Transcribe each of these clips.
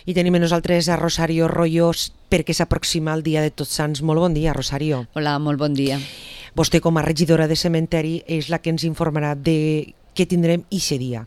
I tenim a nosaltres a Rosario Royos perquè s'aproxima el dia de Tots Sants. Molt bon dia, Rosario. Hola, molt bon dia. Vostè, com a regidora de cementeri, és la que ens informarà de què tindrem ixe dia.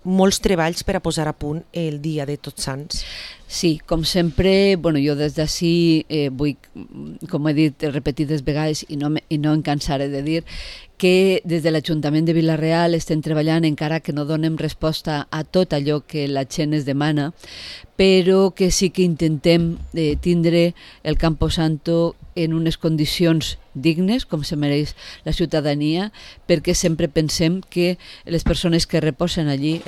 Molts treballs per a posar a punt el dia de Tots Sants. Sí, com sempre, jo des d'ací vull, com he dit repetides vegades i no em cansaré de dir, que des de l'Ajuntament de Vila-real estem treballant encara que no donem resposta a tot allò que la gent es demana, però que sí que intentem tindre el Camposanto en unes condicions dignes, com se mereix la ciutadania, perquè sempre pensem que les persones que reposen allí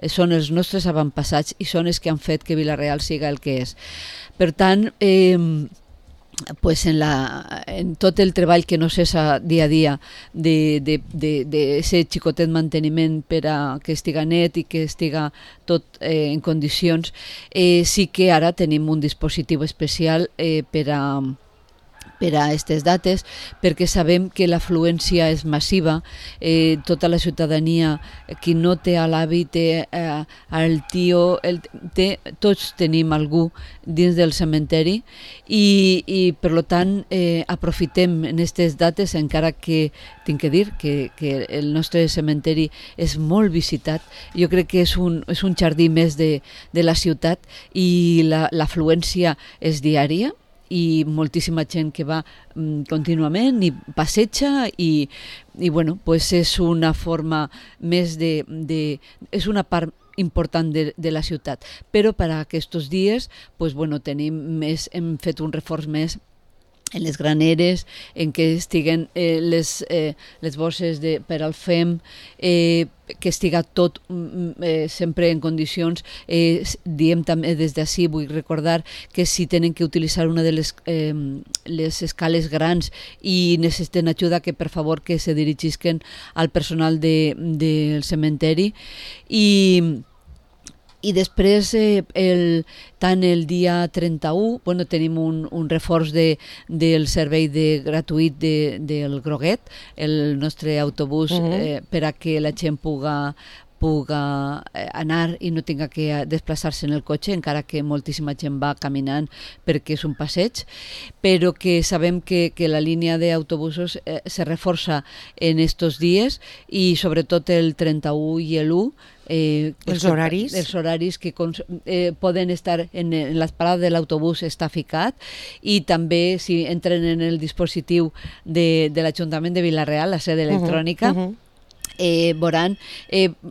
són els nostres avantpassats i són els que han fet que Vila-real siga el que és. Per tant, pues en tot el treball que no cessa dia a dia d'aquest xicotet manteniment per a que estiga net i que estiga tot en condicions, sí que ara tenim un dispositiu especial per a aquestes dates, perquè sabem que l'afluència és massiva, tota la ciutadania, qui no té a l'avi, té el tio, tots tenim algú dins del cementeri i per tant aprofitem en aquestes dates, encara que tinc que dir que el nostre cementeri és molt visitat. Jo crec que és un jardí més de la ciutat i l'afluència és diària, i moltíssima gent que va contínuament i passeja i pues és una forma més és una part important de la ciutat, però per a aquests dies hem fet un reforç més en les graneres, en què estiguen les bosses per al FEM, que estiga tot sempre en condicions. Diem també des d'ací, vull recordar que si tenen que utilitzar una de les escales grans i necessiten ajuda, que per favor que se dirigisquen al personal del cementeri. I després, tant el dia 31, tenim un reforç del servei gratuït del Groguet, el nostre autobús, per a que la gent puga anar i no tinga que desplaçar-se en el cotxe, encara que moltíssima gent va caminant perquè és un passeig, però que sabem que la línia d'autobusos se reforça en estos dies i sobretot el 31 i l'1, els horaris que poden estar en les parades de l'autobús està ficat, i també si entren en el dispositiu de l'Ajuntament de Vila-real, la sede electrònica, veuran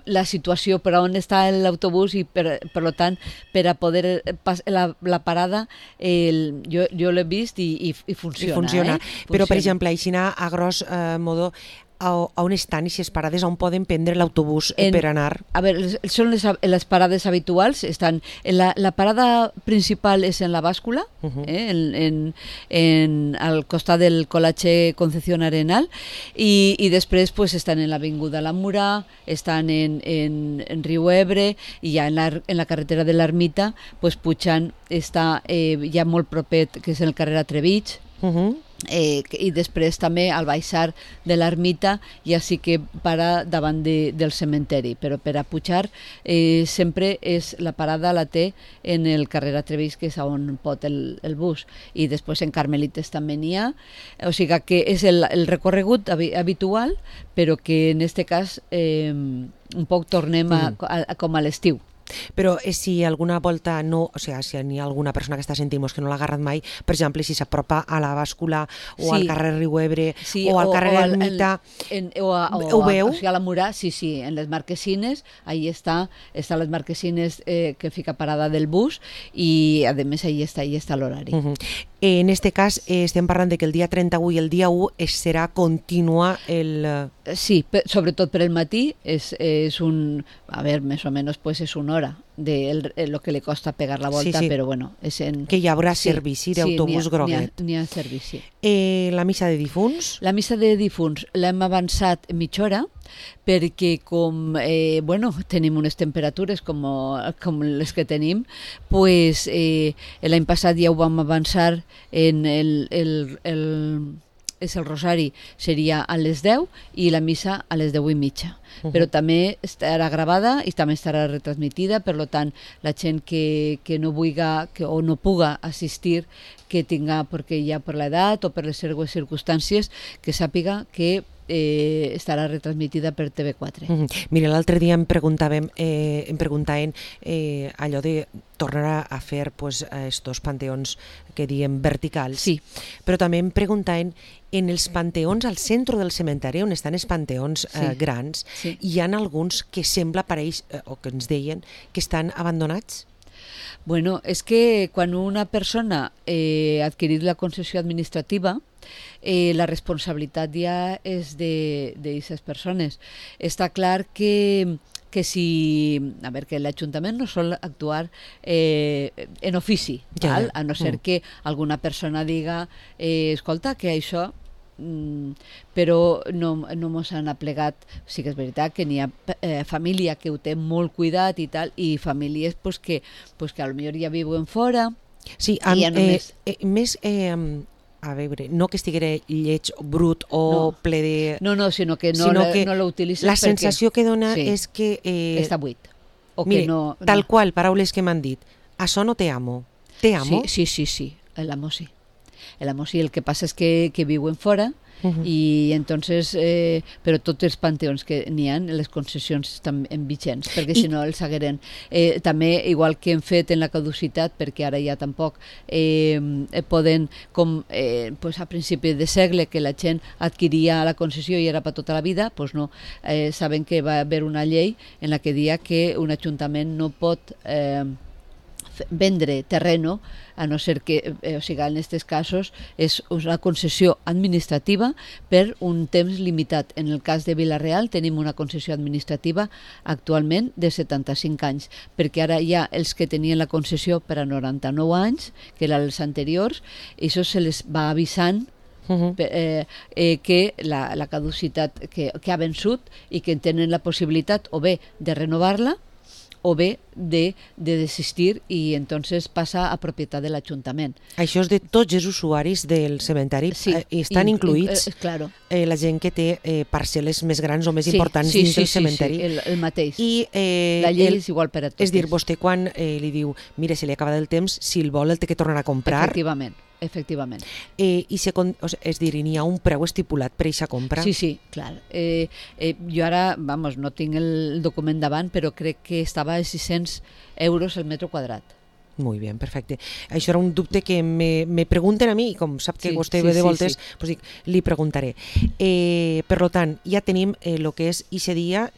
la situació per on està l'autobús i per tant per a poder la parada jo l'he vist i funciona. Però per exemple, a gros modo, on estan aquestes parades on poden prendre l'autobús per anar? A veure, són les parades habituals. La parada principal és en la bàscula, al costat del Col·legi Concepción Arenal, i després estan en l'Avinguda La Murà, estan en Riu Ebre, i ja en la carretera de l'Ermita pujant, està ja molt proper, que és en el carrer Atrevich, i després també al baixar de l'ermita ja sí que para davant del cementeri, però per a pujar sempre la parada la té en el carrer Atrevís, que és on pot el bus, i després en Carmelites també n'hi ha, o sigui que és el recorregut habitual, però que en aquest cas un poc tornem com a l'estiu. Però si alguna volta si hi ha alguna persona que està sentint que no l'ha agarrat mai, per exemple, si s'apropa a la bàscula o al carrer Riu Ebre o al carrer Ermita, ho veu? O sigui, a la Murà, sí, en les marquesines, ahí estan les marquesines que fica parada del bus, i a més ahí està l'horari. En aquest cas estem parlant que el dia 31 i el dia 1 serà contínua Sí, sobretot per el matí és més o menys és una hora de lo que li costa pegar la volta, però que hi haurà servici d'autobús Groguet. N'hi ha servici. La missa de difunts? La missa de difunts l'hem avançat mitja hora, perquè com tenim unes temperatures com les que tenim, l'any passat ja ho vam avançar en el rosari seria a les 10 i la missa a les 10:30. Però també estarà gravada i també estarà retransmitida, per tant, la gent que no vulgui o no puga assistir, que tinga, perquè ja per l'edat o per les seues circumstàncies, que sàpiga que estarà retransmitida per TV4. Mira, l'altre dia em preguntaven allò de tornar a fer estos panteons que diem verticals, sí. Però també em preguntaven en els panteons al centre del cementeri, on estan els panteons grans, hi ha alguns que sembla, pareix, o que ens deien, que estan abandonats? Bueno, és que quan una persona ha adquirit la concessió administrativa, la responsabilitat ja és d'aquestes persones. Està clar que que l'Ajuntament no sol actuar en ofici, a no ser que alguna persona diga escolta, que això però no mos han aplegat. Sí que és veritat que n'hi ha família que ho té molt cuidat i tal, i famílies que potser ja viuen fora. Sí, més a veure, no que estiguera lleig, brut o ple de... No, sinó que no l'utilitzes la sensació que dona és que... està buit. Mira, tal qual, paraules que m'han dit. Això no te amo. Te amo? Sí, l'amo sí. L'amo sí, el que passa és que viuen fora, i entonces, però tots els panteons que n'hi ha, les concessions estan vigents, perquè si no els hagueren. També, igual que hem fet en la caducitat, perquè ara ja tampoc poden, com a principi de segle, que la gent adquiria la concessió i era per tota la vida, doncs no, saben que va haver una llei en la que dia que un ajuntament no pot vendre terreno, a no ser que, en aquests casos, és una concessió administrativa per un temps limitat. En el cas de Vila-real tenim una concessió administrativa actualment de 75 anys, perquè ara ja els que tenien la concessió per a 99 anys, que eren els anteriors, això se les va avisant que la caducitat que ha vençut i que tenen la possibilitat o bé de renovar-la o bé de desistir i entonces passa a propietat de l'Ajuntament. Això és de tots els usuaris del cementeri, estan incluïts claro. La gent que té parcel·les més grans o més importants dins del cementeri. Sí, el mateix. I la llei és igual per a tots. És dir, vostè quan li diu, mira, se li acaba el temps, si el vol el té que tornar a comprar. Efectivament. És dir, n'hi ha un preu estipulat per aquesta compra? Sí, clar. Jo ara, no tinc el document davant, però crec que estava a 600 euros el metre quadrat. Molt bé, perfecte. Això era un dubte que me pregunten a mi, i com sap que vostè ve de voltes, doncs dic, li preguntaré. Per tant, ja tenim el que és aquest dia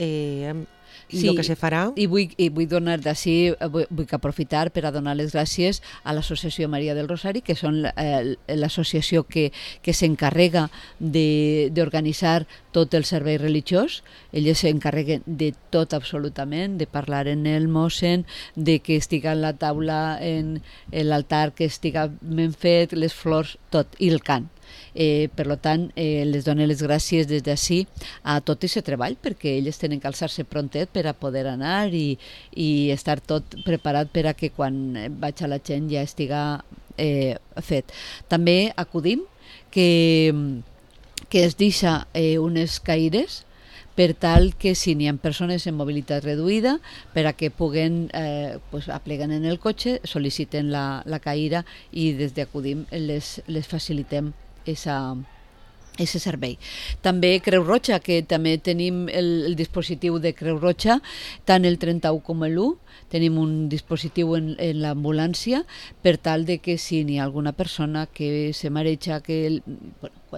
i el que se farà. I vull donar d'ací, vull aprofitar per a donar les gràcies a l'Associació Maria del Rosari, que són l'associació que s'encarrega d'organitzar tot el servei religiós. Elles s'encarreguen de tot absolutament, de parlar en el mossen, de que estiga en la taula, en l'altar, que estiga ben fet, les flors, tot, i el cant. Per tant, les dono les gràcies des d'ací a tot aquest treball, perquè elles tenen que alçar-se prontet per a poder anar i estar tot preparat per a que quan vaig a la gent ja estiga fet. També acudim que es deixa unes caires per tal que si n'hi ha persones en mobilitat reduïda, per a que puguen apleguen en el cotxe, sol·liciten la caïra i des d'Acudim les facilitem ese servei. També Creu Roja, que també tenim el dispositiu de Creu Roja, tant el 31 com l'1, tenim un dispositiu en l'ambulància per tal de que si n'hi ha alguna persona que se mareja, que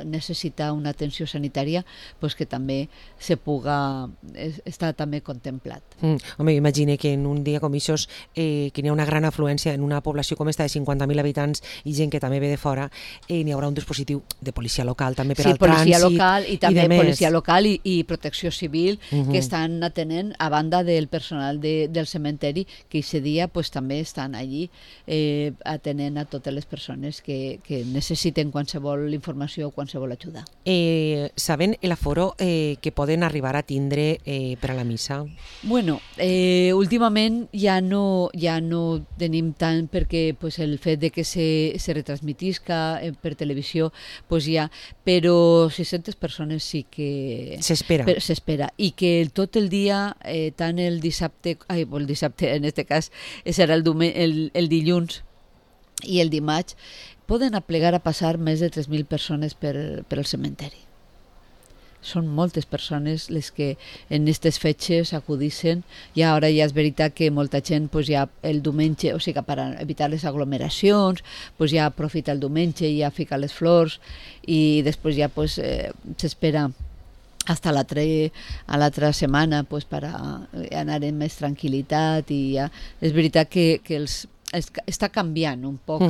necessita una atenció sanitària, pues que també se puga estar també contemplat. Home, imagine que en un dia com això que n'hi ha una gran afluència en una població com esta de 50.000 habitants i gent que també ve de fora, n'hi haurà un dispositiu de policia local també per al trànsit. Sí, policia local i també policia local i protecció civil que estan atenent a banda del personal del cementeri que aquest dia també estan allí atenent a totes les persones que necessiten qualsevol informació o qualsevol ajuda. Saben l'aforo que poden arribar a tindre per a la missa? Bueno, últimament ja no tenim tant, perquè pues, el fet de que se retransmitisca per televisió, pues ja, però 600 persones sí que... S'espera. I que tot el dia, tant el dissabte, el dissabte en aquest cas serà el dilluns i el dimarts, poden aplegar a passar més de 3.000 persones per al cementeri. Són moltes persones les que en aquestes fetges acudissin. I ara ja és veritat que molta gent pues, ja el diumenge, o sigui que per evitar les aglomeracions, pues, ja aprofita el diumenge i ja fica les flors i després ja pues, s'espera hasta l'altra setmana pues, per anar amb més tranquil·litat i ja és veritat que està canviant un poc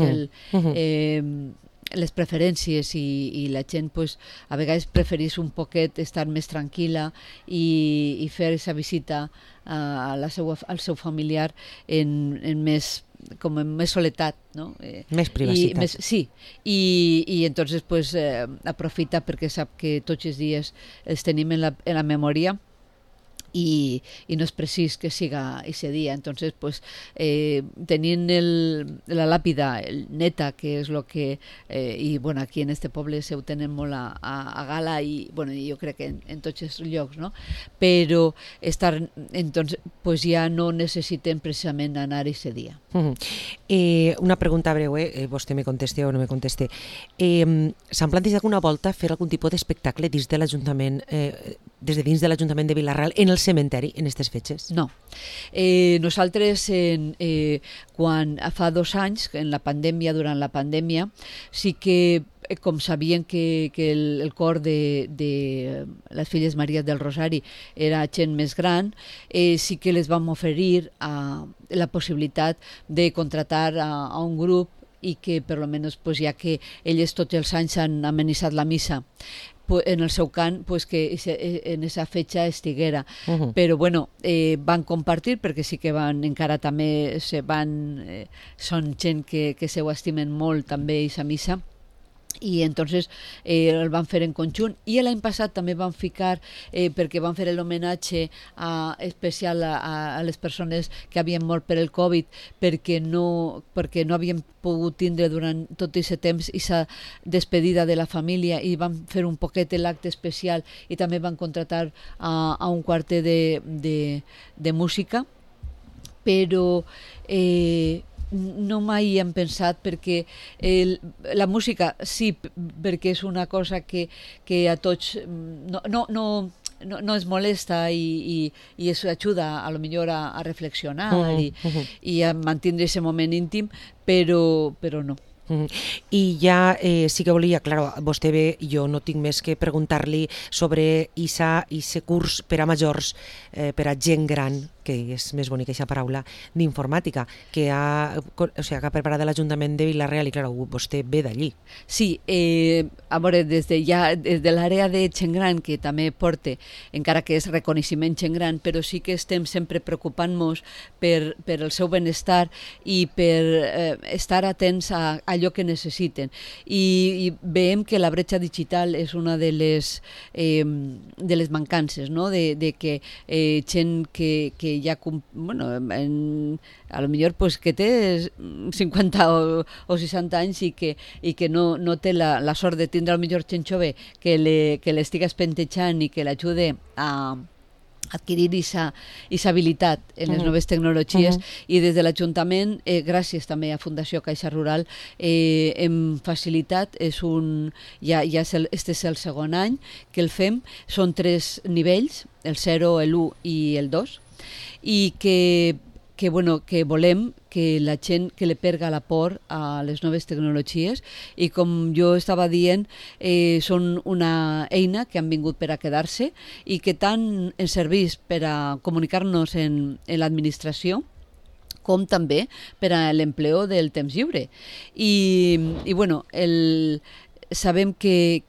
les preferències i la gent pues, a vegades preferís un poquet estar més tranquil·la i fer aquesta visita al seu familiar en més soledat, no? Més privacitat. Sí, i entonces pues, aprofita perquè sap que tots els dies els tenim en la memòria i no és precís que siga aquest dia. Entonces, pues, tenint la làpida neta, que és el que... I bueno, aquí en este poble se ho tenen molt a gala i bueno, jo crec que en tots els llocs, no? Però entonces, pues, ja no necessitem precisament anar aquest dia. Una pregunta breu, vostè me conteste o no me conteste. S'han plantejat alguna volta fer algun tipus d'espectacle dins de l'Ajuntament, des de dins de l'Ajuntament de Vila-real en el cementeri en aquestes fetges? No. Nosaltres, quan fa 2 anys, durant la pandèmia, sí que com sabien que el cor de les Filles Maries del Rosari era gent més gran, sí que les vam oferir la possibilitat de contratar a un grup i que per almenys, pues, ja que elles tots els anys han amenitzat la missa en el seu cant, pues, que en aquesta fetge estiguera. Però bueno, van compartir perquè sí que encara també són gent que se ho estimen molt també aquesta missa i entonces el van fer en conjunt i l'any passat també van ficar perquè van fer l'homenatge especial a les persones que havien mort per el Covid perquè no havien pogut tindre durant tot aquest temps aquesta despedida de la família i van fer un poquet l'acte especial i també van contratar a un quartet de música, però no mai hem pensat perquè la música sí, perquè és una cosa que a tots no es molesta i es ajuda a lo millor a reflexionar i a mantenir aquest moment íntim, però no. I ja sí que volia, clar, vostè ve, jo no tinc més que preguntar-li sobre aquest curs per a majors, per a gent gran, que és més bonica aquesta paraula, d'informàtica, que ha preparat l'Ajuntament de Vila-real i, clar, vostè ve d'allí. Sí, a veure, des de l'àrea de gent gran, que també porta, encara que és reconeixement gent gran, però sí que estem sempre preocupant-nos per el seu benestar i per estar atents a allò que necessiten. I veiem que la bretxa digital és una de les mancances, no? De que gent que ja, bueno, a lo millor pues, que té 50 o 60 anys i que no té la sort de tindre a lo millor gent jove que l'estigui espentejant i que l'ajude a adquirir aquesta habilitat en les noves tecnologies i des de l'Ajuntament, gràcies també a Fundació Caixa Rural, hem facilitat, este és el segon any que el fem, són 3 nivells, el 0, l'1 i el 2, i que volem que la gent que li perga la por a les noves tecnologies i com jo estava dient, són una eina que han vingut per a quedar-se i que tant ens serveix per a comunicar-nos en l'administració com també per a l'empleo del temps lliure. I bueno, sabem que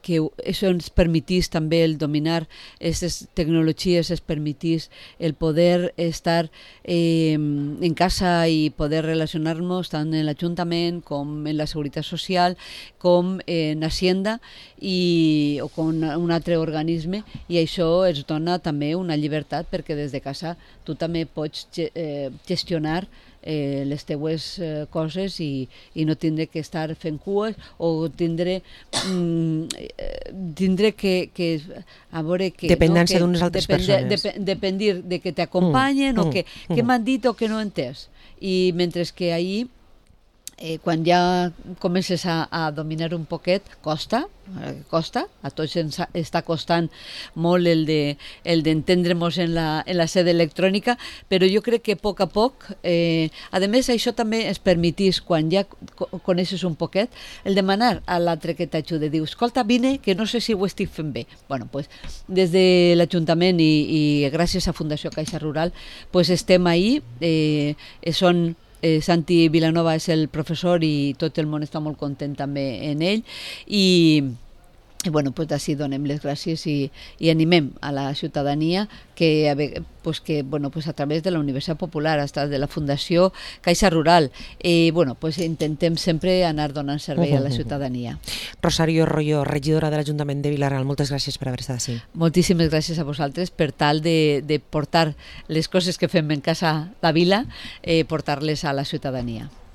això ens permetís també el dominar aquestes tecnologies, ens permetís el poder estar en casa i poder relacionar-nos tant en l'Ajuntament com en la Seguretat Social, com en Hacienda o com un altre organisme, i això ens dona també una llibertat perquè des de casa tu també pots gestionar les teues coses i no tindre que estar fent cues o tindre que a veure que dependència d'unes altres persones, dependir de que t'acompanyen o que m'han dit o que no he entès, i mentre que ahir quan ja comences a dominar un poquet, costa, a tots ens està costant molt el d'entendre-nos en la sede electrònica, però jo crec que a poc, a més això també es permetís, quan ja coneixes un poquet, el demanar a l'altre que t'ajude, diu, escolta, vine, que no sé si ho estic fent bé. Bueno, pues, des de l'Ajuntament i gràcies a Fundació Caixa Rural, pues estem ahí, Santi Vilanova és el professor i tot el món està molt content també en ell, i bueno, pues així donem les gràcies i animem a la ciutadania que bueno, pues a través de la Universitat Popular, hasta de la Fundació Caixa Rural, bueno, pues intentem sempre anar donant servei a la ciutadania. Rosario Royo, regidora de l'Ajuntament de Vilareal, moltes gràcies per haver estat així. Moltíssimes gràcies a vosaltres per tal de portar les coses que fem en casa la vila, portar-les a la ciutadania.